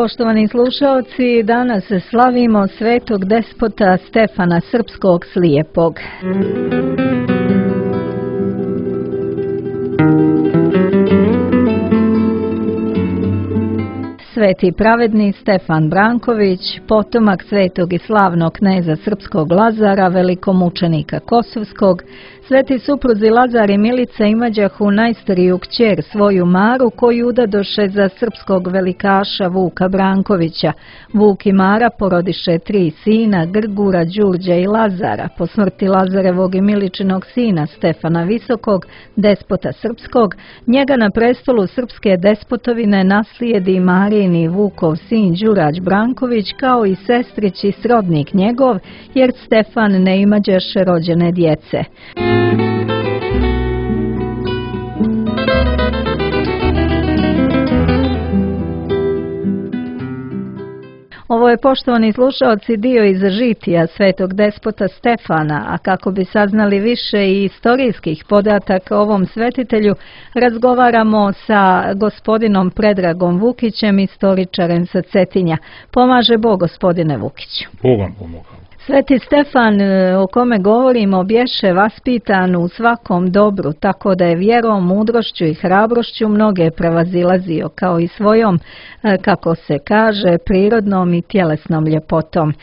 Poštovani slušaoci, danas slavimo svetog despota Stefana Srpskog Slijepog. Sveti pravedni Stefan Branković, potomak svetog i slavnog kneza srpskog Lazara, velikomučenika Kosovskog, sveti supruzi Lazar i Milica imađahu najstariju kćer svoju Maru, koju udadoše za srpskog velikaša Vuka Brankovića. Vuk i Mara porodiše 3 sina, Grgura, Đurđa i Lazara. Po smrti Lazarevog i Miličinog sina Stefana Visokog, despota srpskog, njega na prestolu srpske despotovine naslijedi Marijini Vukov sin Đurađ Branković, kao i sestrić i srodnik njegov, jer Stefan ne imađaše rođene djece. Ovo je, poštovani slušaoci, dio iz žitija svetog despota Stefana, a kako bi saznali više i istorijskih podataka o ovom svetitelju, razgovaramo sa gospodinom Predragom Vukićem, istoričarem sa Cetinja. Pomaže Bog, gospodine Vukiću. Bog vam pomogao. Sveti Stefan, o kome govorimo, bješe vaspitan u svakom dobru, tako da je vjerom, mudrošću i hrabrošću mnoge prevazilazio, kao i svojom, kako se kaže, prirodnom i tjelesnom ljepotom.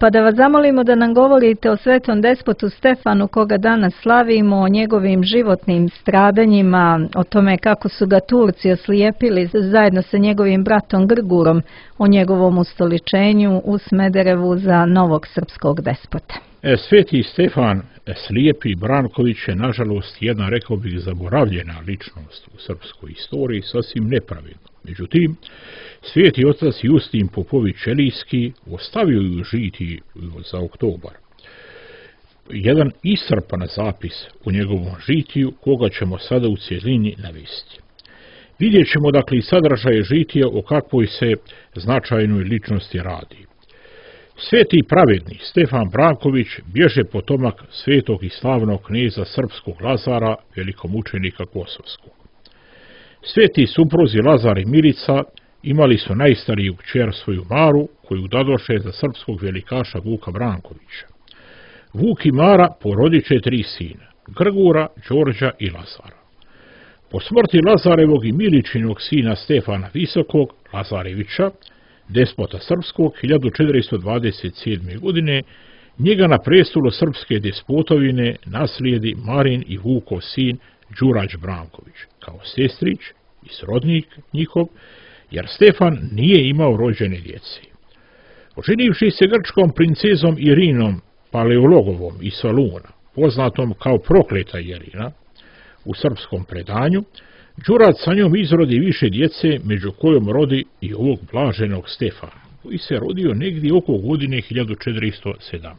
Pa da vas zamolimo da nam govorite o svetom despotu Stefanu, koga danas slavimo, o njegovim životnim stradanjima, o tome kako su ga Turci oslijepili zajedno sa njegovim bratom Grgurom, o njegovom ustoličenju u Smederevu za novog srpskog despota. Sveti Stefan Slijepi Branković je, nažalost, jedna, rekao bih, zaboravljena ličnost u srpskoj istoriji, sasvim nepravedno. Međutim, sveti otac Justin Popović Čelijski ostavio ju žiti za oktobar jedan iscrpan zapis u njegovom žitiju, koga ćemo sada u cjelini navesti. Vidjet ćemo, dakle, i sadržaje žitija o kakvoj se značajnoj ličnosti radi. Sveti pravedni Stefan Branković bježe potomak svetog i slavnog kneza srpskog Lazara, velikomučenika Kosovskog. Sveti supruzi Lazar i Milica imali su najstariju kćer svoju Maru, koju dadoše za srpskog velikaša Vuka Brankovića. Vuk i Mara porodiče 3 sina, Grgura, Đorđa i Lazara. Po smrti Lazarevog i Miličinog sina Stefana Visokog, Lazarevića, despota srpskog, 1427. godine, njega na prestolu srpske despotovine naslijedi Marin i Vukov sin Đurađ Branković, kao sestrić i srodnik njihov, jer Stefan nije imao rođene djece. Oženivši se grčkom princezom Irinom Paleologovom iz Soluna, poznatom kao prokleta Irina, u srpskom predanju, Đurađ sa njom izrodi više djece, među kojom rodi i ovog blaženog Stefana, koji se rodio negdje oko godine 1417.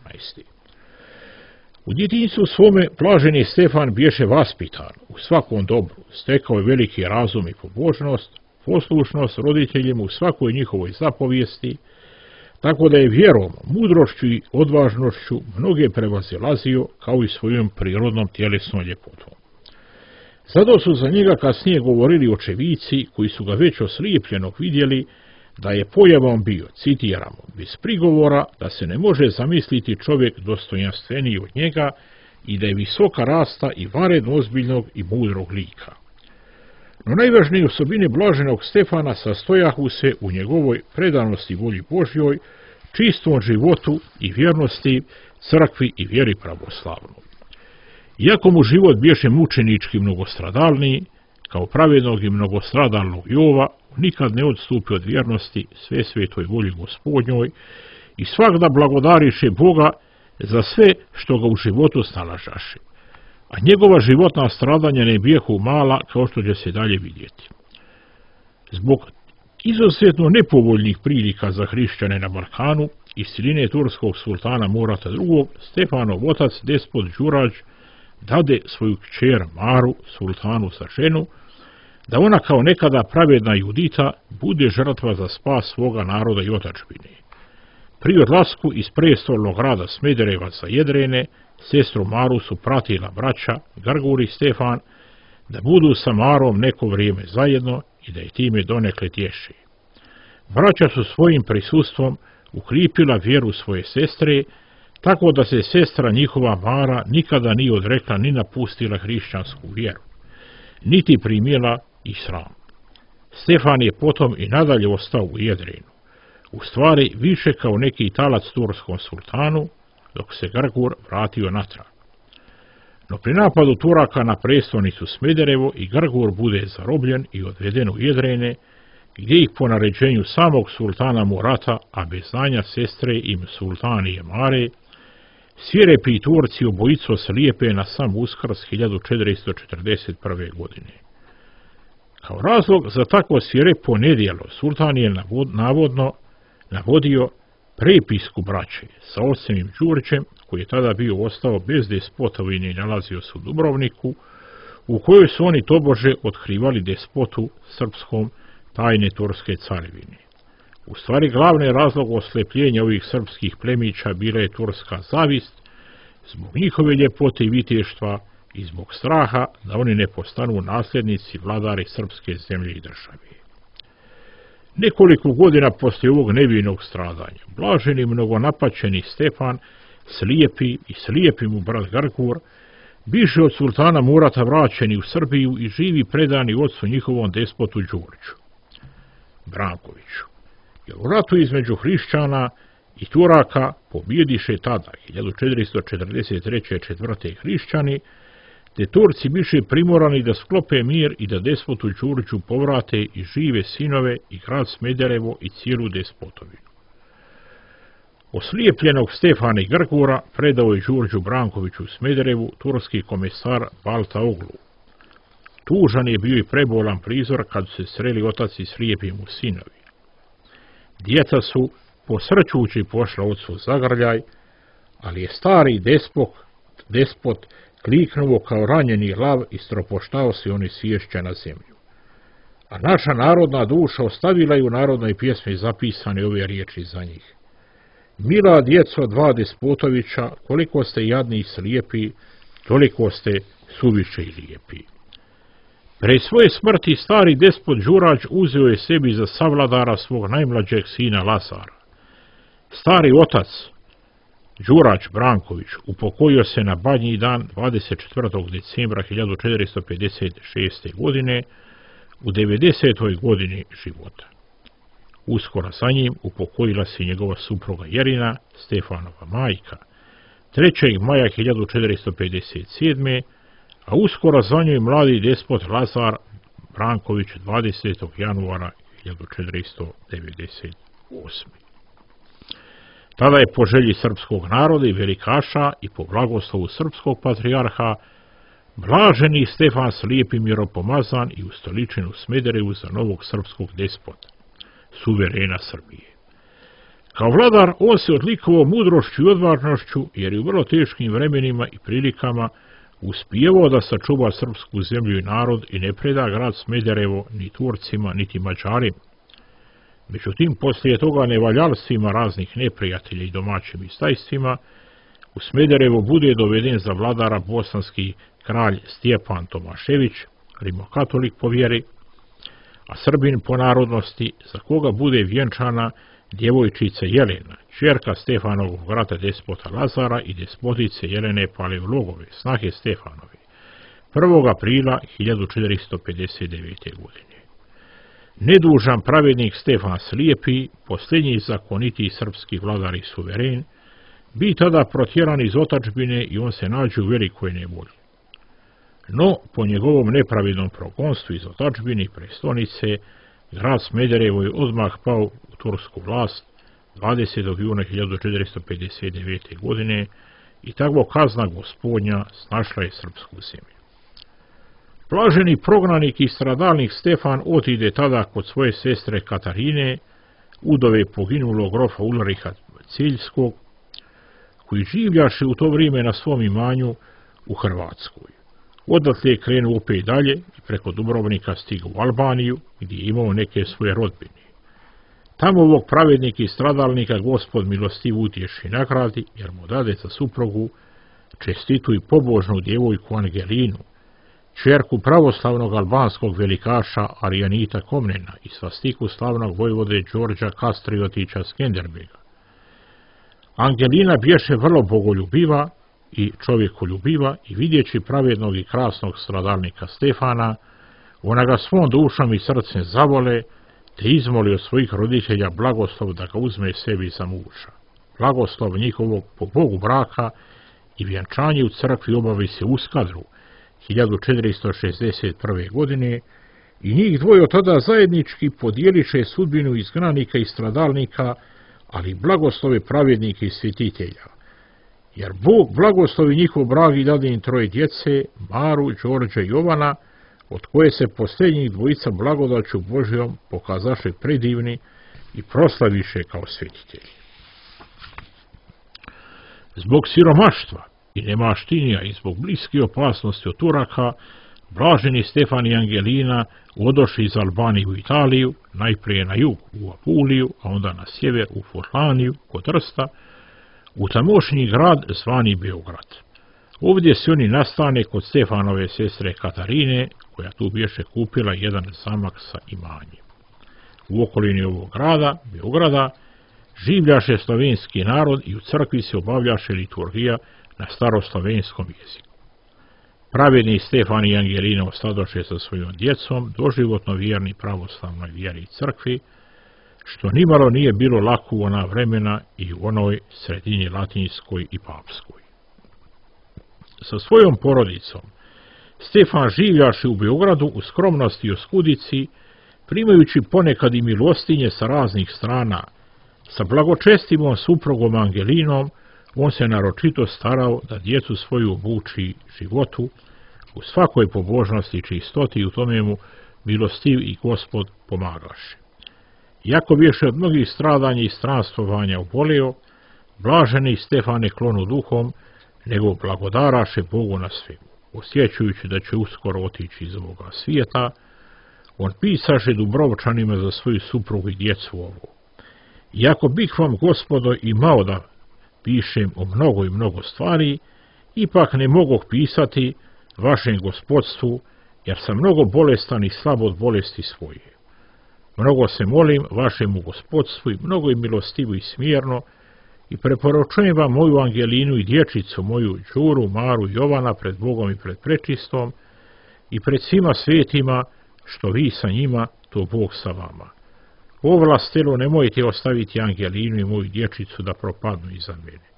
U djetinjstvu svome blaženi Stefan bješe vaspitan u svakom dobru, stekao je veliki razum i pobožnost, poslušnost roditeljima u svakoj njihovoj zapovijesti, tako da je vjerom, mudrošću i odvažnošću mnoge prevazilazio, kao i svojom prirodnom tjelesnom ljepotom. Zato su za njega kasnije govorili očevici, koji su ga već oslijepljenog vidjeli, da je pojavom bio, citiramo, bez prigovora, da se ne može zamisliti čovjek dostojanstveniji od njega i da je visoka rasta i varedno ozbiljnog i mudrog lika. No najvažnije osobine blaženog Stefana sastojahu se u njegovoj predanosti volji Božjoj, čistom životu i vjernosti crkvi i vjeri pravoslavnoj. Iako mu život bješe mučenički mnogostradalniji, kao pravednog i mnogostradalnog Jova, nikad ne odstupi od vjernosti sve svetoj volji Gospodnjoj i svakda blagodariše Boga za sve što ga u životu snalažaše. A njegova životna stradanja ne bijehu mala, kao što će se dalje vidjeti. Zbog izuzetno nepovoljnih prilika za hrišćane na Balkanu i siline turskog sultana Murata II, Stefanov otac, despot Đurađ, dade svoju kćer Maru, sultanu sa ženu, da ona kao nekada pravedna Judita bude žrtva za spas svoga naroda i otadžbine. Pri odlasku iz prestolnog grada Smedereva sa Jedrene, sestru Maru su pratila braća Grgur i Stefan, da budu sa Marom neko vrijeme zajedno i da je time donekle tješe. Braća su svojim prisustvom ukripila vjeru svoje sestre, tako da se sestra njihova Mara nikada nije odrekla ni napustila hrišćansku vjeru, niti primila islam. Stefan je potom i nadalje ostao u Jedrenu, u stvari više kao neki talac turskom sultanu, dok se Grgur vratio natrag. No pri napadu Turaka na prestolnicu Smederevo i Grgur bude zarobljen i odveden u Jedrene, gdje ih po naređenju samog sultana Murata, a bez znanja sestre im sultanije Mare, svirepi Turci obojico slijepe na sam Uskrs 1441. godine. Kao razlog za takvo svirepo nedjelo sultan je navodno navodio prepisku braće sa ocem Đurđem, koji je tada bio ostao bez despotovine i nalazio se u Dubrovniku, u kojoj su oni tobože otkrivali despotu srpskom tajne turske carevine. U stvari glavni razlog oslepljenja ovih srpskih plemića bila je turska zavist zbog njihove ljepote i viteštva i zbog straha da oni ne postanu nasljednici vladari srpske zemlje i države. Nekoliko godina poslije ovog nevinog stradanja, blaženi mnogonapaćeni Stefan, slijepi mu brat Grgur, biše od sultana Murata vraćeni u Srbiju i živi predani ocu njihovom despotu Đurđu Brankoviću. Jer u ratu između hrišćana i Turaka pobjediše tada 1443. 4. hrišćani, te Turci biše primorani da sklope mir i da despotu Đurđu povrate i žive sinove i grad Smederevo i cijelu despotovinu. Oslijepljenog Stefana i Grgura predao je Đurđu Brankoviću u Smederevu turski komesar Balta Oglu. Tužan je bio i prebolan prizor kad su se sreli otac i slijepi mu sinovi. Djeca su posrćući pošla ocu zagrljaj, ali je stari despot kliknuo kao ranjeni lav i stropoštao se oni sješća na zemlju. A naša narodna duša ostavila je u narodnoj pjesmi zapisane ove riječi za njih. Mila djeco dva despotovića, koliko ste jadni i slijepi, toliko ste suviše i lijepi. Pre svoje smrti stari despot Đurađ uzeo je sebi za savladara svog najmlađeg sina Lazara. Stari otac Đurađ Branković upokojio se na Badnji dan 24. decembra 1456. godine u 90. godini života. Uskoro za njim upokojila se njegova supruga Jerina, Stefanova majka, 3. maja 1457. a uskoro za njoj mladi despot Lazar Branković 20. januara 1498. Tada je po želji srpskog naroda i velikaša i po blagoslovu srpskog patrijarha blaženi Stefan slijepi miropomazan i ustoličen u Smederevu za novog srpskog despota, suverena Srbije. Kao vladar on se odlikovao mudrošću i odvažnošću jer je u vrlo teškim vremenima i prilikama uspijevao da sačuva srpsku zemlju i narod i ne preda grad Smederevo ni Turcima niti Mađarima. Međutim, poslije toga nevaljalstvima raznih neprijatelja i domaćim istajstvima, u Smederevo bude doveden za vladara bosanski kralj Stjepan Tomašević, rimokatolik po vjeri, a Srbin po narodnosti, za koga bude vjenčana djevojčica Jelena, ćerka Stefanovog brata despota Lazara i despotice Jelene Paleologove, snahe Stefanove, 1. aprila 1459. godine. Nedužan pravednik Stefan Slijepi, posljednji zakoniti srpski vladar i suveren, bi tada protjeran iz otadžbine i on se nađe u velikoj nevolji. No, po njegovom nepravednom progonstvu iz otadžbine i prestonice, grad Smederevo je odmah pao u tursku vlast 20. juna 1459. godine i takvo kazna gospodnja snašla je srpsku zemlju. Blaženi prognanik i stradalnik Stefan otide tada kod svoje sestre Katarine, udove poginulog grofa Ulriha Ciljskog, koji življaše u to vrijeme na svom imanju u Hrvatskoj. Odatle je krenuo opet dalje i preko Dubrovnika stigao u Albaniju, gdje je imao neke svoje rodbine. Tamo ovog pravednika i stradalnika Gospod milostiv utješi nagradi, jer mu dade za suprugu čestitu i pobožnu djevojku Angelinu, ćerku pravoslavnog albanskog velikaša Arijanita Komnena i svastiku slavnog vojvode Đorđa Kastriotića Skenderbega. Angelina bješe vrlo bogoljubiva i čovjekoljubiva i vidjeći pravednog i krasnog stradalnika Stefana, ona ga svom dušom i srcem zavole, te izmoli od svojih roditelja blagoslov da ga uzme sebi za muža. Blagoslov njihovog po Bogu braka i vjenčanje u crkvi obavi se u Skadru 1461. godine i njih dvoje tada zajednički podijeliše sudbinu izgnanika i stradalnika, ali blagoslove pravednika i svjetitelja. Jer Bog blagoslovi njihov brak i dade im troje djece, Maru, Đorđa i Jovana, od koje se posljednjih dvojica blagodaću Božjom pokazaše predivni i proslaviše kao svjetitelji. Zbog siromaštva i nemaštinija i zbog bliske opasnosti od Turaka, blaženi Stefan i Angelina odošli iz Albanije u Italiju, najprije na jug u Apuliju, a onda na sjever u Furlaniju kod Trsta, u tamošnji grad zvani Beograd. Ovdje se oni nastane kod Stefanove sestre Katarine, koja tu bješe kupila jedan zamak sa imanjem. U okolini ovog grada, Beograda, življaše slovenski narod i u crkvi se obavljaše liturgija na staroslovenskom jeziku. Pravedni Stefan i Angelina ostadoše sa svojom djecom, doživotno vjerni pravoslavnoj vjeri i crkvi, što nimalo nije bilo lako u ona vremena i u onoj sredini latinskoj i papskoj. Sa svojom porodicom Stefan življaše u Beogradu u skromnosti i oskudici, primajući ponekad i milostinje sa raznih strana. Sa blagočestivom suprugom Angelinom on se naročito starao da djecu svoju obuči životu u svakoj pobožnosti i čistoti i u tome mu milostiv i Gospod pomagaše. Iako bješe od mnogih stradanja i stranstvovanja obolio, blaženi Stefan je klonu duhom, nego blagodaraše Bogu na svemu. Osjećajući da će uskoro otići iz ovoga svijeta, on pisaše Dubrovčanima za svoju suprugu i djecu ovo. Iako bih vam, Gospodo, imao da pišem o mnogo i mnogo stvari, ipak ne mogu pisati vašem gospodstvu, jer sam mnogo bolestan i slab od bolesti svoje. Mnogo se molim vašemu gospodstvu i mnogo je milostivo i smjerno i preporučujem vam moju Angelinu i dječicu moju Đuru, Maru i Jovana pred Bogom i pred prečistom i pred svima svetima, što vi sa njima, to Bog sa vama. Ovlastilo nemojte ostaviti Angelinu i moju dječicu da propadnu iza mene.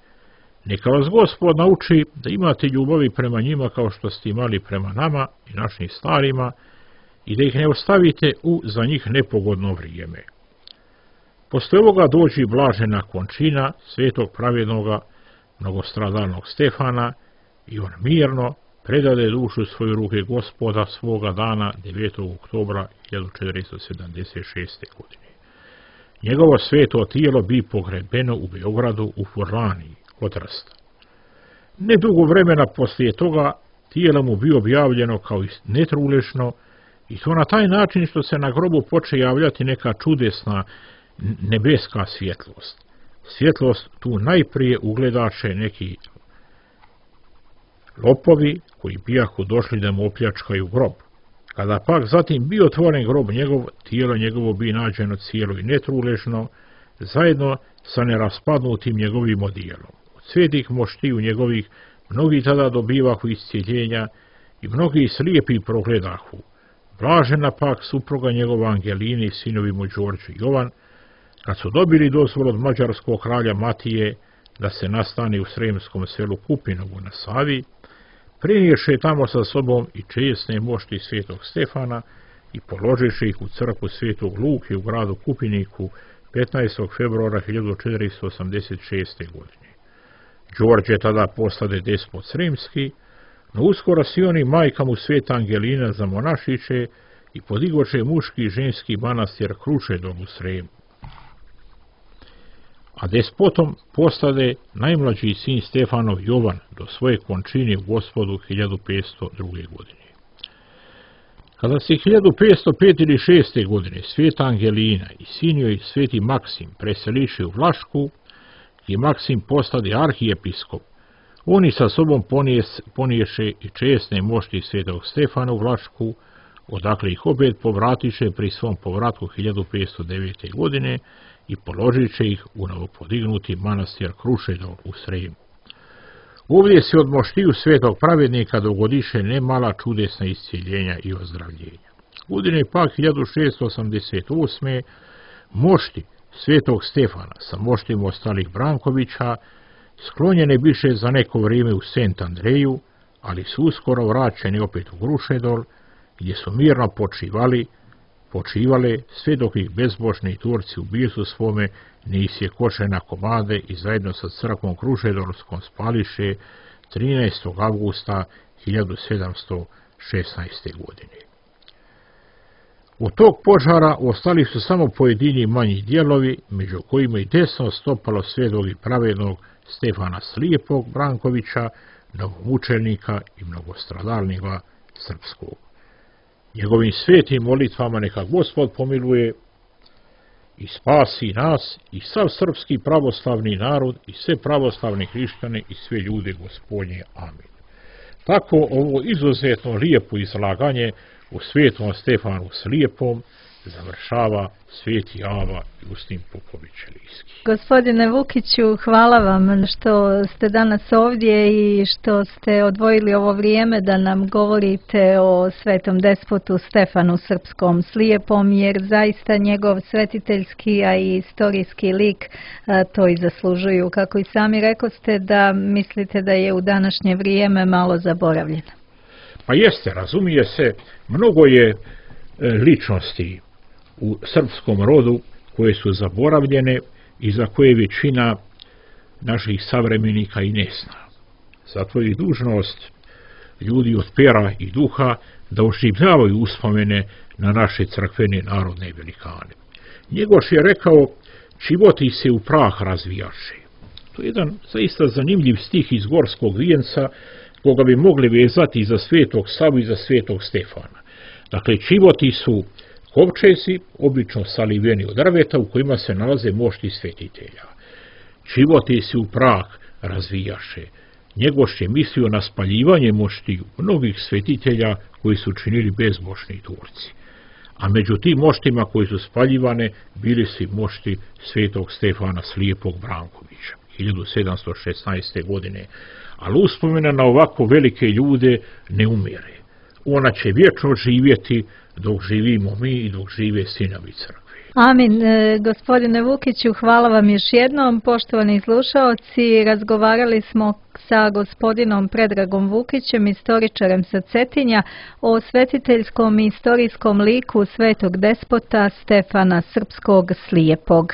Neka vas Gospod nauči da imate ljubavi prema njima kao što ste imali prema nama i našim starima i da ih ne ostavite u za njih nepogodno vrijeme. Posle ovoga dođi blažena končina svetog pravednoga mnogostradalnog Stefana i on mirno predade dušu svoje ruke Gospoda svoga dana 9. oktobra 1476. godine. Njegovo sveto tijelo bi pogrebeno u Beogradu u Furlaniji kod Trsta. Nedugo vremena poslije toga tijelo mu bi objavljeno kao netrulešno i to na taj način što se na grobu poče javljati neka čudesna nebeska svjetlost. Svjetlost tu najprije ugledaše neki lopovi koji bijahu došli da mu opljačkaju grob. Kada pak zatim bi otvoren grob njegov, tijelo njegovo bi nađeno cijelo i netrulešno, zajedno sa neraspadnutim njegovim odijelom. Od svetih moštiju njegovih mnogi tada dobivahu iscijeljenja i mnogi slijepi progledahu. Blažena pak supruga njegova Angelini i sinovi mu Đorđe i Jovan, kad su dobili dozvolu od mađarskog kralja Matije da se nastane u sremskom selu Kupinovu na Savi, priniješe tamo sa sobom i česne mošti svetog Stefana i položiše ih u crkvu svetog Luke u gradu Kupiniku 15. februara 1486. godine. Đorđe tada postade despot sremski, no uskoro si on i majka mu sveta Angelina zamonašiće i podigoše muški i ženski manastir Krušedol u Sremu. A despotom postade najmlađi sin Stefanov Jovan do svoje končine u Gospodu 1502. godine. Kada se 1505. ili 6. godine sveta Angelina i sin joj sveti Maksim preseliše u Vlašku i Maksim postade arhijepiskop, Oni sa sobom poniješe i česne mošti svetog Stefana u Vlašku, odakle ih opet povratiše pri svom povratku 1509. godine i položiše ih u novopodignuti manastir Krušedol u Sremu. Ovdje se od moštiju svetog pravednika dogodiše nemala čudesna iscijeljenja i ozdravljenja. Godine pak 1688. mošti svetog Stefana sa moštima ostalih Brankovića sklonjene biše za neko vrijeme u Sent Andreju, ali su uskoro vraćeni opet u Krušedol, gdje su mirno počivale sve dok ih bezbožni Turci u bijesu svome ne isjekoše na komade i zajedno sa crkvom Krušedolskom spališe 13. avgusta 1716. godine. Od tog požara ostali su samo pojedini manji dijelovi, među kojima i desno stopalo svetog i pravednog Stefana Slijepog Brankovića, novomučenika i mnogostradalnika srpskog. Njegovim svetim molitvama neka Gospod pomiluje i spasi nas i sav srpski pravoslavni narod i sve pravoslavne hrišćane i sve ljude Gospodnje. Amin. Tako ovo izuzetno lijepo izlaganje u svetom Stefanu Slijepom završava sveti Ava Justin Popović Elijski. Gospodine Vukiću, hvala vam što ste danas ovdje i što ste odvojili ovo vrijeme da nam govorite o svetom despotu Stefanu Srpskom Slijepom, jer zaista njegov svetiteljski, a i istorijski lik to i zaslužuju. Kako i sami rekoste da mislite da je u današnje vrijeme malo zaboravljen. Pa jeste, razumije se, mnogo je ličnosti u srpskom rodu koje su zaboravljene i za koje većina naših savremenika i ne zna. Zato je dužnost ljudi od pera i duha da oživljavaju uspomene na naše crkvene narodne velikane. Njegoš je rekao, životi se u prah razvijaše. To je jedan zaista zanimljiv stih iz Gorskog vijenca, koga bi mogli vezati za svetog Savu i za svetog Stefana. Dakle, čivoti su kovčezi, obično saliveni od drveta, u kojima se nalaze mošti svetitelja. Čivoti se u prah razvijaše. Njegoš je mislio na spaljivanje moštiju mnogih svetitelja koji su činili bezbožni Turci. A među tim moštima koji su spaljivane bili su i mošti svetog Stefana Slijepog Brankovića 1716. godine. Ali uspomena na ovako velike ljude ne umire. Ona će vječno živjeti dok živimo mi i dok žive sinovi crkve. Amin. Gospodine Vukiću, hvala vam još jednom. Poštovani slušaoci, razgovarali smo sa gospodinom Predragom Vukićem, istoričarem sa Cetinja, o svetiteljskom i istorijskom liku svetog despota Stefana Srpskog Slijepog.